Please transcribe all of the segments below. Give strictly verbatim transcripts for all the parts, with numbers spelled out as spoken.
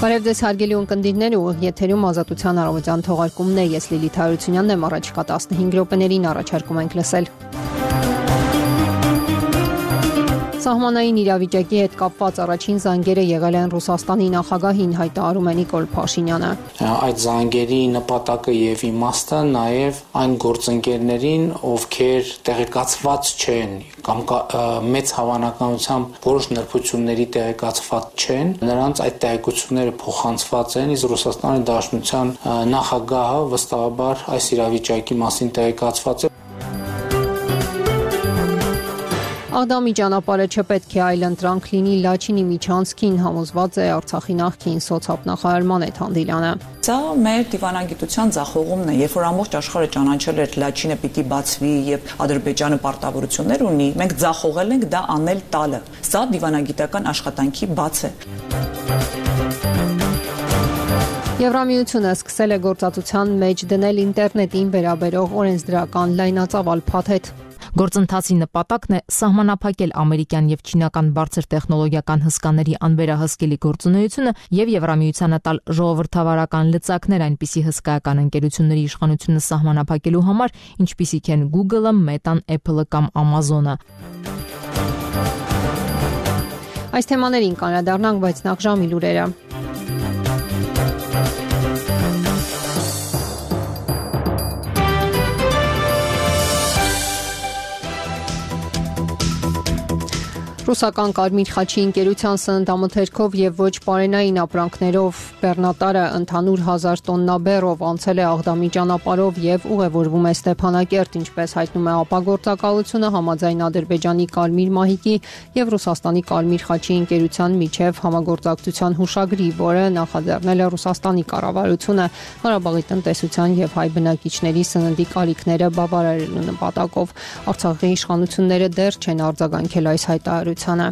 Բարև ձեզ հարգելի ունկնդիրներ, ուղիղ եթերում Ազատության առավոտյան թողարկումն է, ես Լիլիթ Հարությունյանն եմ, առաջիկա տասնհինգ րոպեներին առաջարկում ենք լսել։ Սահմանային իրավիճակի հետ կապված առաջին զանգերը եղել են Ռուսաստանի նախագահին, հայտարարում է Նիկոլ Փաշինյանը։ Այդ զանգերի նպատակը եւ իմաստը նաեւ այն գործընկերներին, ովքեր տեղեկացված չեն կամ մեծ հավանականությամբ որոշ նրբությունների տեղեկացված չեն, նրանց այդ տեղեկությունները փոխանցված են, իսկ Ռուսաստանի Դաշնության նախագահը վստահաբար այս իրավիճակի մասին տեղեկացված է։ Աղդամի ճանապարհը չպետք է այլընտրանք լինի Լաչինի միջանցքին, համոզված է Արցախի նախկին սոցիալ-նախարար Մանեթ Հանդիլյանը։ Սա մեր դիվանագիտության ձախողումն է, երբ որ ամբողջ աշխարհը ճանաչել էր Լաչինը պիտի բացվի եւ Ադրբեջանը պարտավորություններ ունի, մենք ձախողել ենք դա անել տալը։ Սա դիվանագիտական աշխատանքի բաց է։ Եվրամիությունը սկսել է գործածության մեջ դնել ինտերնետին վերաբերող օրենսդրական լայնածավալ փաթեթ։ Գործընթացի նպատակն է սահմանափակել ամերիկյան եւ չինական բարձր տեխնոլոգիական հսկաների անվերահսկելի գործունեությունը եւ Եվրամիությանը տալ ժողովրդավարական լծակներ այնպիսի հսկայական ընկերությունների իշխանությունը սահմանափակելու համար, ինչպիսիք են Google-ը, Meta-ն, Apple-ը կամ Amazon-ը։ Այս թեմաներին կանրադառնանք, բայց նախ ժամի լուրերը։ Ռուսական Կարմիր խաչի ընկերության սննդամթերքով եւ ոչ պարենային ապրանքներով բեռնատարը ընդհանուր հազար տոննա բեռով անցել է Աղդամի ճանապարհով եւ ուղևորվում է Ստեփանակերտ, ինչպես հայտնում է ապագործակալությունը, համաձայն Ադրբեջանի Կարմիր մահիկի եւ Ռուսաստանի Կարմիր խաչի ընկերության միջև համագործակցության հուշագրի, որը նախաձեռնել է Ռուսաստանի կառավարությունը Ղարաբաղի տնտեսության եւ հայ բնակիչների սննդի կարիքները բավարարելու նպատակով։ Արցախի իշխանությունները դեռ չեն արձագանքել այս հայտարարությանը։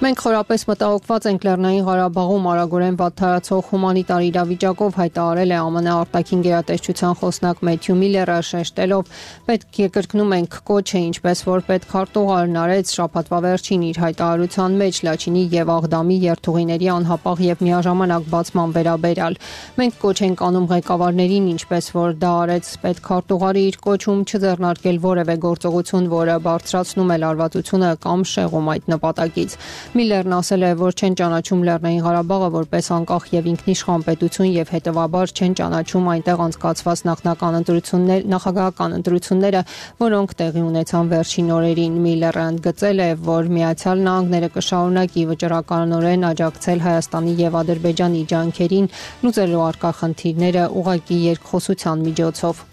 Մենք խորապես մտահոգված ենք Լեռնային Ղարաբաղում արագորեն վատթարացող հումանիտար իրավիճակով, հայտարարել է ԱՄՆ արտաքին գերատեսչության խոսնակ Մեթյու Միլլերը, շեշտելով, պետք է կրկնում ենք կոչը, ինչպես որ պետքարտուղարն արեց շաբաթվա վերջին իր հայտարարության մեջ Լաչինի եւ Աղդամի երթուղիների անհապաղ եւ միաժամանակ բացման վերաբերյալ։ Մենք կոչ ենք անում ղեկավարներին, ինչպես որ դա արեց պետքարտուղարը իր կոչում, չձեռնարկել որևէ գործողություն, որը բարձրացնում է լարվածությունը կամ շեղում այդ նպատակից։ Միլլերն ասել է, որ չեն ճանաչում Լեռնային Ղարաբաղը որպես անկախ եւ ինքնիշխան պետություն եւ հետեւաբար չեն ճանաչում այնտեղ անցկացված նախնական ընտրություններ, նախագահական ընտրությունները, որոնք տեղի ունեցան վերջին օրերին։ Միլլերը ընդգծել է, որ Միացյալ Նահանգները կշարունակի վճռականորեն աջակցել Հայաստանի եւ Ադրբեջանի ջանքերին լուծելու առկա խնդիրները ուղղակի երկխոսության միջոցով։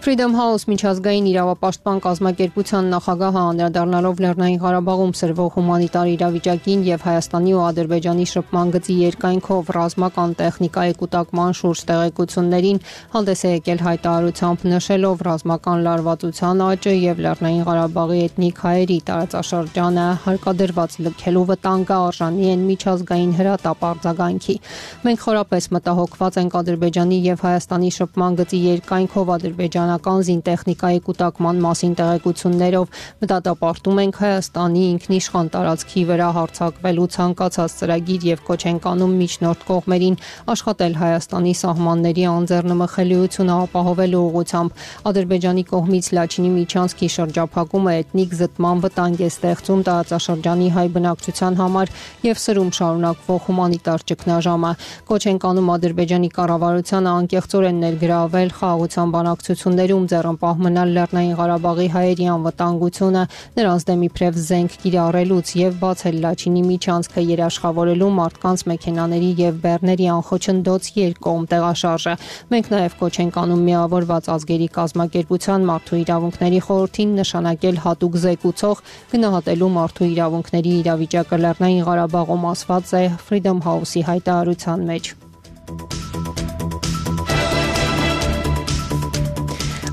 Freedom House միջազգային իրավապաշտպան կազմակերպության նախագահը անդրադառնալով Լեռնային Ղարաբաղում սրվող հումանիտար իրավիճակին եւ Հայաստանի ու Ադրբեջանի շփման գծի երկայնքով ռազմական տեխնիկայի կուտակման շուրջ տեղեկություններին հանդես է եկել հայտարարությամբ, նշելով ռազմական լարվածության աճը եւ Լեռնային Ղարաբաղի էթնիկ հայերի տարածաշրջանը հարկադրված լքելու վտանգը արժանի են միջազգային հրատապ արձագանքի։ Մենք խորապես մտահոգված ենք Ադրբեջանի եւ Հայաստանի շփման գծի երկայնքով Ադրբեջան զինտեխնիկայի կուտակման մասին տեղեկություններով, մտադապարտում ենք Հայաստանի ինքնիշխան տարածքի վրա հարձակվելու ցանկացած ծրագիր եւ կոչ ենք անում միջնորդ կողմերին աշխատել Հայաստանի սահմանների անձեռնմխելիությունը ապահովելու ուղղությամբ։ Ադրբեջանի կողմից Լաչինի միջանցքի շրջափակումը էթնիկ զտման վտանգ է ստեղծում տարածաշրջանի հայ բնակչության համար եւ սրում շարունակվող հումանիտար ճգնաժամը։ Կոչ ենք անում Ադրբեջանի կառավարությանը անկեղծորեն ներգրավել խաղաղության բանակցությունների ձեռնպահ մնալ Լեռնային Ղարաբաղի հայերի անվտանգությունը, նրանց դեմ իբրև զենք կիրառելուց եւ բացել Լաչինի միջանցքը երաշխավորելու մարդկանց մեքենաների եւ բեռների անխոչնդոց երկկողմ տեղաշարժը։ Մենք նաեւ կոչ ենք անում Միավորված ազգերի կազմակերպության մարդու իրավունքների խորհրդին նշանակել հատուկ զեկուցող գնահատելու մարդու իրավունքների իրավիճակը Լեռնային Ղարաբաղում, ասված է Freedom House-ի հայտարարության մեջ։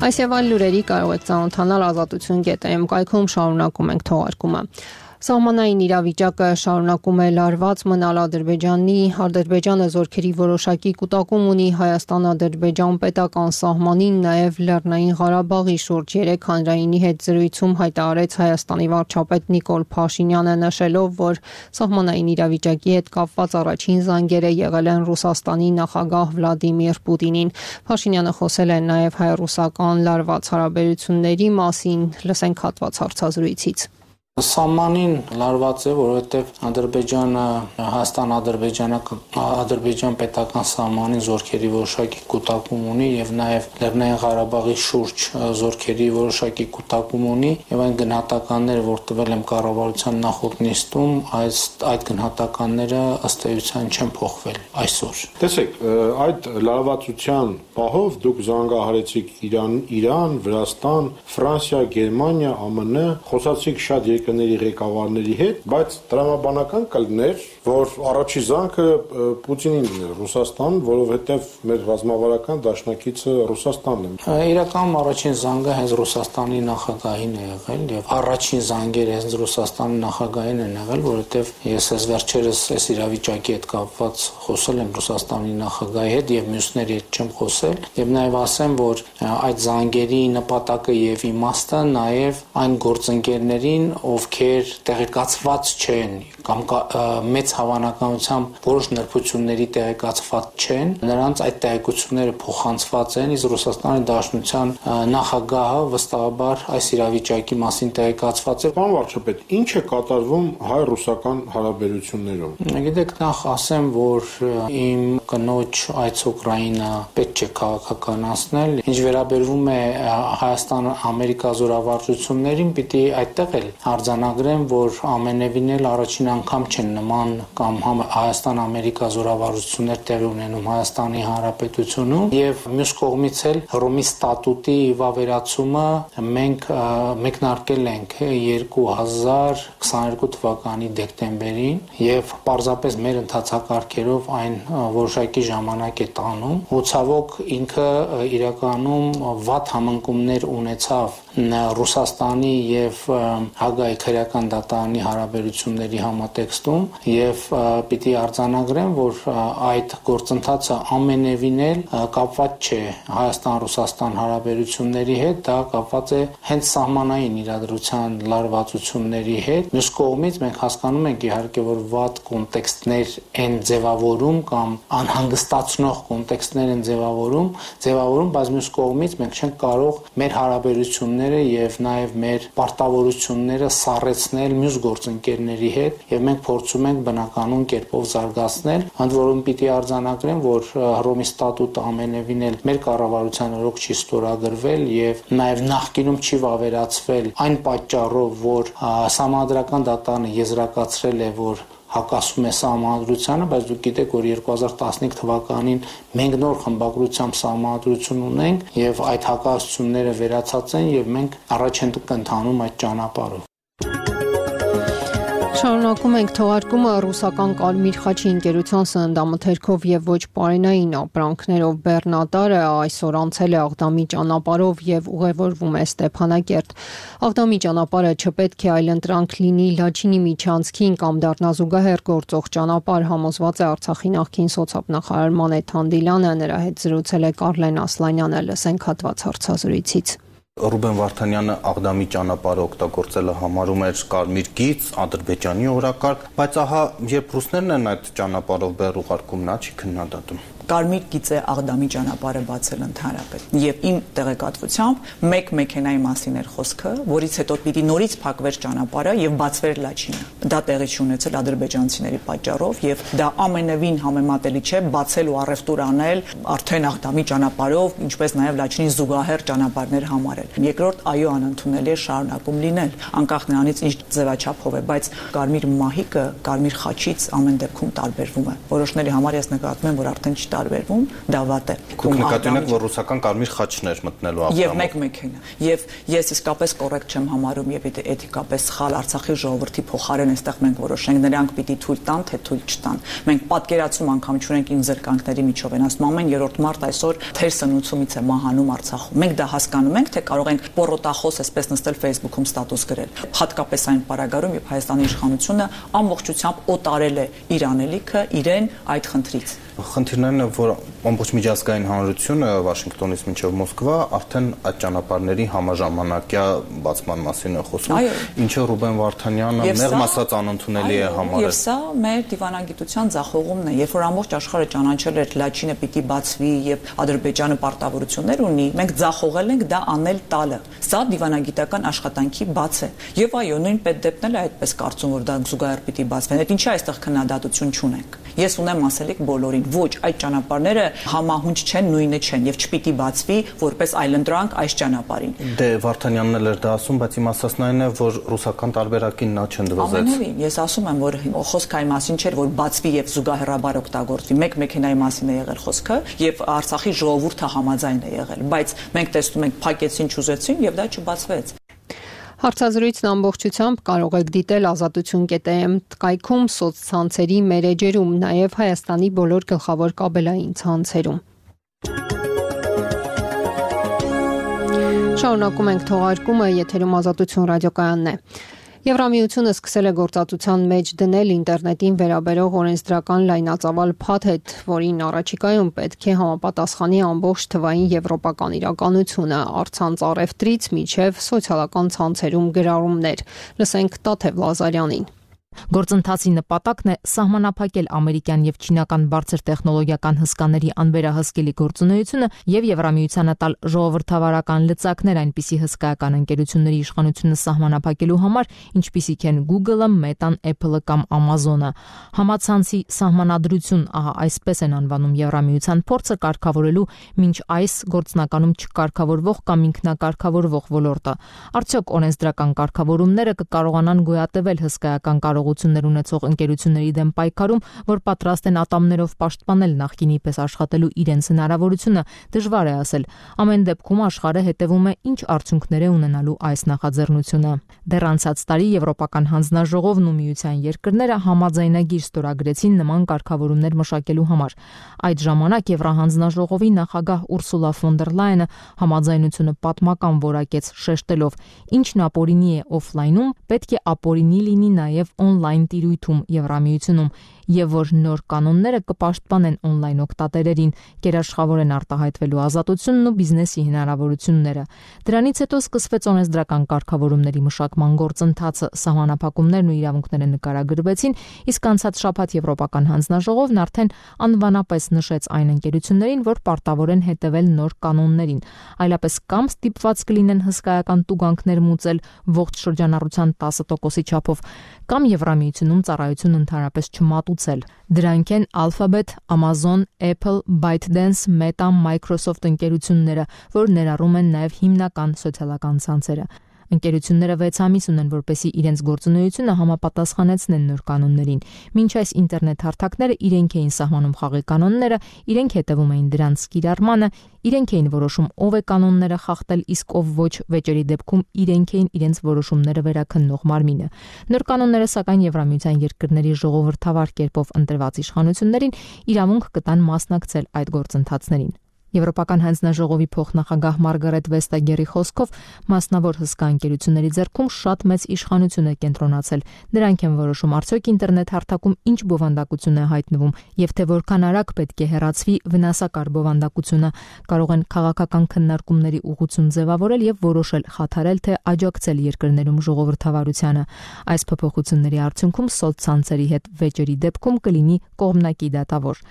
Այս եւ այլ լուրերի կարող եք ծանոթանալ ազատություն կետ էմ կայքում, շարունակում ենք թողարկումը։ Սահմանային իրավիճակը շարունակում է լարված մնալ Ադրբեջանի, Ադրբեջանը զորքերի որոշակի կուտակում ունի Հայաստան-Ադրբեջան պետական սահմանին, նաև Լեռնային Ղարաբաղի շուրջ երեք հանրայինի հետ զրույցում հայտարարեց Հայաստանի վարչապետ Նիկոլ Փաշինյանը, նշելով, որ սահմանային իրավիճակի հետ կապված առաջին զանգերը եղել են Ռուսաստանի նախագահ Վլադիմիր Պուտինին։ Փաշինյանը խոսել է նաև հայ-ռուսական լարված հարաբերությունների մասին, լսենք հատված հարցազրույցից։ Սահմանին լարված է, որովհետև Ադրբեջանը Հայաստան-Ադրբեջան պետական սահմանին զորքերի որոշակի կուտակում ունի եւ նաեւ Լեռնային Ղարաբաղի շուրջ զորքերի որոշակի կուտակում ունի եւ այն գնահատականները, որ տվել եմ կառավարության նախորդ նիստում, այս այդ գնահատականները ըստ էության չեն փոխվել այսօր։ Տեսեք, այդ լարվածության պահով դուք զանգահարեցիք Իրան, Իրան, Վրաստան, Ֆրանսիա, Գերմանիա, ԱՄՆ, խոսացիք շատ երկրների ղեկավարների հետ, բայց տրամաբանական կլներ, որ առաջի զանգը Պուտինին է, Ռուսաստան, որովհետև մեր ռազմավարական դաշնակիցը Ռուսաստանն է։ Իրականում առաջին զանգը հենց Ռուսաստանի նախագահին է եղել եւ առաջին զանգերը հենց Ռուսաստանի նախագահին են եղել, որովհետև ես ես վերջերս այս իրավիճակի հետ կապված խոսել եմ Ռուսաստանի նախագահի հետ եւ մյուսների հետ չեմ խոսել եւ նաեւ ասեմ, որ այդ զանգերի նպատակը եւ իմաստը նաեւ այն գործընկերներին, ովքեր տեղեկացված չեն կամ մեծ հավանականությամբ որոշ նրբությունների տեղեկացված չեն, նրանց այդ տեղեկությունները փոխանցված են, իսկ Ռուսաստանի Դաշնության նախագահը վստահաբար այս իրավիճակի մասին տեղեկացված է։ Պարոն վարչապետ, ինչ է կատարվում հայ-ռուսական հարաբերություններում։ Գիտեք, նախ ասեմ, որ իմ կնոջ այց Ուկրաինա պետք չէ քաղաքականացնել։ Ինչ վերաբերվում է Հայաստան-Ամերիկա զորավարժություններին, պիտի այդտեղ էլ արձանագրեմ, որ ամենևին էլ առաջին անգամ չեն նման կամ Հայաստան-Ամերիկա զորավարժություններ տեղի ունենում Հայաստանի Հանրապետությունում եւ մյուս կողմից էլ Հռոմի ստատուտի վավերացումը մենք մեկնարկել ենք երկու հազար քսաներկու թվականի դեկտեմբերին եւ պարզապես մեր ընթացակարգերով այն որոշակի ժամանակ է տանում ու ցավոք ինքը իրականում վատ համընկումներ ունեցավ Ռուսաստանի եւ Հագայի քրեական դատարանի հարաբերությունների համատեքստում եւ պիտի արձանագրեմ, որ այդ գործընթացը ամենևին էլ կապված չէ Հայաստան-Ռուսաստան հարաբերությունների հետ, դա կապված է հենց սահմանային իրադրության լարվածությունների հետ։ Մյուս կողմից մենք հասկանում ենք իհարկե, որ վատ կոնտեքստներ են ձևավորում կամ անհանգստացնող կոնտեքստներ են ձևավորում, ձևավորում, բայց մյուս կողմից մենք չենք կարող մեր հարաբերությունները եւ նաեւ մեր պարտավորությունները սառեցնել մյուս գործընկերների հետ եւ մենք փորձում ենք բնականon կերպով զարգացնել, ընդ որում պիտի արձանագրեմ, որ Հռոմի ստատուտը ամենևին էլ մեր կառավարության օրոք չի ստորագրվել եւ նաեւ նախկինում չի վավերացվել այն պատճառով, որ Սահմանադրական դատարանը եզրակացրել է, որ հակասում է սահմանադրությանը, բայց դուք գիտեք, որ երկու հազար տասնհինգ թվականին մենք նոր խմբագրությամբ սահմանադրություն ունենք եւ այդ հակասությունները վերացած են եւ մենք առաջ ենք ընթանում այդ ճանապարհով։ Շարունակում ենք թողարկումը ռուսական Կարմիր խաչի ընկերության սննդամթերքով եւ ոչ պարենային ապրանքներով բեռնատարը այսօր անցել է Աղդամի ճանապարհով եւ ուղևորվում է Ստեփանակերտ։ Աղդամի ճանապարհը չպետք է այլընտրանք լինի Լաչինի միջանցքին կամ դառնա զուգահեռ գործող ճանապարհ, համոզված է Արցախի նախկին սոցիալնախարար Մանեթ Հանդիլյանը, նրա հետ զրուցել է Կարլեն Ասլանյանը, լսենք հատված հարցազրույցից։ Ռուբեն Վարդանյանը Աղդամի ճանապարհը օգտագործելը համարում էր կարմիր գիծ, Ադրբեջանի օրակարգ, բայց ահա երբ ռուսներն են այդ ճանապարհով բեռ ուղարկում, նա չի քննադատում։ Կարմիր գիծ է Աղդամի ճանապարհը բացել ընդհանրապես։ Եվ իմ տեղեկատվությամբ մեկ մեքենայի մասին էր խոսքը, որից հետո պիտի նորից փակվեր ճանապարհը եւ բացվեր Լաչինը։ Դա տեղի չունեցել ադրբեջանցիների պատճառով եւ դա ամենևին համեմատելի չէ բացել ու առևտուր անել արդեն Աղդամի ճանապարհով, ինչպես նաեւ Լաչինի զուգահեռ ճանապարհներ համարել։ Երկրորդ, այո, անընդունելի է շարունակում լինել, անկախ նրանից ինչ ձևաչափով է, բայց կարմիր մահիկը կարմիր խաչից ամեն դեպքում տարբերվում է։ Որոշների համար ես նկատում եմ, որ արդեն չտա տարբերվում, դա վատ է։ Դուք նկատի ունեք, որ ռուսական կարմիր խաչներ մտնելու աղբամով։ Եվ մեկ մեքենա։ Եվ ես իսկապես կոռեկտ չեմ համարում եւ եթե էթիկապես սխալ Արցախի ժողովրդի փոխարեն այստեղ մենք որոշենք, նրանք պիտի թույլ տան, թե թույլ չտան։ Մենք պատկերացում անգամ չունենք ին զրկանքների միջով են ասում ամեն երրորդ մարդ այսօր թեր սնուցումից է մահանում Արցախում։ Մենք դա հասկանում ենք, թե կարող ենք պորոտախոս այսպես նստել Facebook-ում ստատուս գրել։ Հատկապես այն պարագայում, երբ Հայաստանի իշխանությունը ամբողջությամբ օտարել է իր անելիքը իրեն այդ խնդրից։ Խնդիրն է, որ ամբողջ միջազգային հանրությունը Վաշինգտոնից մինչև Մոսկվա արդեն այդ ճանապարհների համաժամանակյա բացման մասին է խոսում, ինչը Ռուբեն Վարդանյանը մեղմ ասած անընդունելի է համարել։ Եվ սա մեր դիվանագիտության ձախողումն է, երբ որ ամբողջ աշխարհը ճանաչել էր Լաչինը պիտի բացվի եւ Ադրբեջանը պարտավորություններ ունի, մենք ձախողել ենք դա անել տալը։ Սա դիվանագիտական աշխատանքի բաց է։ Եվ այո, նույն պետդեպն էլ է այդպես կարծում, որ դա զուգահեռ պիտի բացվեն։ Այդ ինչի այստեղ քննադատություն չունենք։ Ես ունեմ ասելիք բոլորին, ոչ, այդ ճանապարհները համահունչ չեն, նույնը չեն եւ չպիտի բացվի որպես այլընտրանք այս ճանապարհին։ Դե Վարդանյանն էլ էր դա ասում, բայց իմ ասածն այն է, որ ռուսական տարբերակին նա չընդվզեց։ Ամենևին, ես ասում եմ, որ խոսքը այն մասին չէր, որ բացվի եւ զուգահեռաբար օգտագործվի։ Մեկ մեքենայի մասին է եղել խոսքը եւ Արցախի ժողովուրդը համաձայն է եղել, բայց մենք տեսնում ենք փակեցին, չուզեցին եւ դա չբացվեց։ Հարցազրույցն ամբողջությամբ կարող եք դիտել ազատություն կետ էմ կայքում, սոցցանցերի մեր էջերում, նաև Հայաստանի բոլոր գլխավոր կաբելային ցանցերում։ Շարունակում ենք թողարկումը, եթերում Ազատություն ռադիոկայանն է։ Եվրամիությունը սկսել է գործածության մեջ դնել ինտերնետին վերաբերող օրենսդրական լայնածավալ փաթեթ, որին առաջիկայում պետք է համապատասխանի ամբողջ թվային եվրոպական իրականությունը, առցանց առևտրից մինչև սոցիալական ցանցերում գրառումներ։ Լսենք Տաթև Լազարյանին։ Գործընթացի նպատակն է սահմանափակել ամերիկյան եւ չինական բարձր տեխնոլոգիական հսկաների անվերահսկելի գործունեությունը եւ Եվրամիությանը տալ ժողովրդավարական լծակներ այնպիսի հսկայական ընկերությունների իշխանությունը սահմանափակելու համար, ինչպիսիք են Google-ը, Meta-ն, Apple-ը կամ Amazon-ը։ Համացանցի սահմանադրություն, ահա այսպես են անվանում Եվրամիության փորձը կարգավորելու մինչ այս գործնականում չկարգավորվող կամ ինքնակարգավորվող ոլորտը։ Արդյոք օրենսդրական կարգավորումները կկարողանան գոյատևել հսկայական կարողություններ ունեցող ընկերությունների դեմ պայքարում, որ պատրաստ են ատամներով պաշտպանել նախկինի պես աշխատելու իրենց հնարավորությունը, դժվար է ասել։ Ամեն դեպքում աշխարհը հետևում է ինչ արդյունքներ է ունենալու այս նախաձեռնությունը։ Դեռ անցած տարի Եվրոպական հանձնաժողովն ու Միության երկրները համաձայնագիր ստորագրեցին նման կարգավորումներ մշակելու համար։ Այդ ժամանակ Եվրահանձնաժողովի նախագահ Ուրսուլա ֆոն դեր Լայենը համաձայնությունը պատմական որակեց, շեշտելով. ինչն ապօրինի է օֆլայնում, պետք է ապօրինի լինի նաև on-line տիրույթում Եվրամիությունում, եւ որ նոր կանոնները կպաշտպանեն on-line օգտատերերին, գերաշխավորեն արտահայտվելու ազատությունն ու բիզնեսի հնարավորությունները։ Դրանից հետո սկսվեց օրենսդրական կարգավորումների մշակման գործընթացը, սահմանափակումներն ու իրավունքները նկարագրվեցին, իսկ անցած շաբաթ Եվրոպական հանձնաժողովն արդեն անվանապես նշեց այն ընկերություններին, որ պարտավոր են հետևել նոր կանոններին, այլապես կամ ստիպված կլինեն հսկայական տուգանքներ մուծել ողջ շրջանառության տասը տոկոսի չափով, կամ Եվրամիությունում ծառայություն ընդհանրապես չմատուցել։ Դրանք են Alphabet, Amazon, Apple, ByteDance, Meta, Microsoft ընկերությունները, որ ներառում են նաև հիմնական սոցիալական ցանցերը։ Ընկերությունները վեց ամիս ունեն, որպեսզի իրենց գործունեությունը համապատասխանեցնեն նոր կանոններին։ Մինչ այս ինտերնետ հարթակները իրենք էին սահմանում խաղի կանոնները, իրենք հետևում էին դրանց կիրառմանը, իրենք էին որոշում ով է կանոնները խախտել, իսկ ով ոչ, վեճերի դեպքում իրենք էին իրենց որոշումները վերաքննող մարմինը։ Նոր կանոնները սակայն Եվրամիության երկրների ժողովրդավար կերպով ընտրված իշխանություններին իրավունք կտան մասնակցել այդ գործընթացներին։ Եվրոպական հանձնաժողովի փոխնախագահ Մարգարետ Վեստագերի խոսքով մասնավոր հսկա ընկերությունների ձեռքում շատ մեծ իշխանություն է կենտրոնացել։ Դրանք են որոշում արդյոք ինտերնետ հարթակում ինչ բովանդակություն է հայտնվում եւ թե որքան արագ պետք է հեռացվի վնասակար բովանդակությունը, կարող են քաղաքական քննարկումների ուղղություն ձևավորել եւ որոշել խաթարել թե աջակցել երկրներում ժողովրդավարությանը։ Այս փոփոխությունների արդյունքում սոցցանցերի հետ վեճերի դեպքում կլինի կողմնակի դատավոր։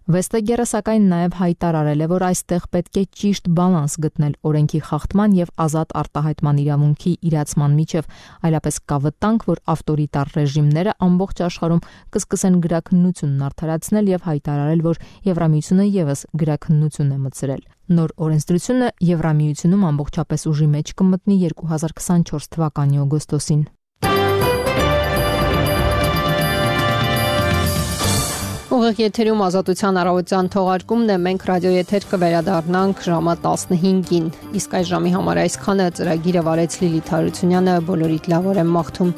Վեստագերը սակայն նաև հայտարարել է, որ այստեղ պետք է ճիշտ բալանս գտնել օրենքի խախտման եւ ազատ արտահայտման իրավունքի իրացման միջև, այլապես կա վտանգ, որ ավտորիտար ռեժիմները ամբողջ աշխարհում կսկսեն գրաքննությունն արդարացնել եւ հայտարարել, որ Եվրամիությունը եւս գրաքննություն է մտցրել։ Նոր օրենսդրությունը Եվրամիությունում ամբողջապես ուժի մեջ կմտնի երկու հազար քսանչորս թվականի օգոստոսին։ Ուղիղ եթերում Ազատության առավոտյան թողարկումն է, մենք ռադիոեթեր կվերադառնանք ժամը տասնհինգին, իսկ այս ժամի համար այսքանը ծրագիրը վարեց Լիլիթ Հարությունյանը, բոլորիդ լավ օր եմ մաղթում։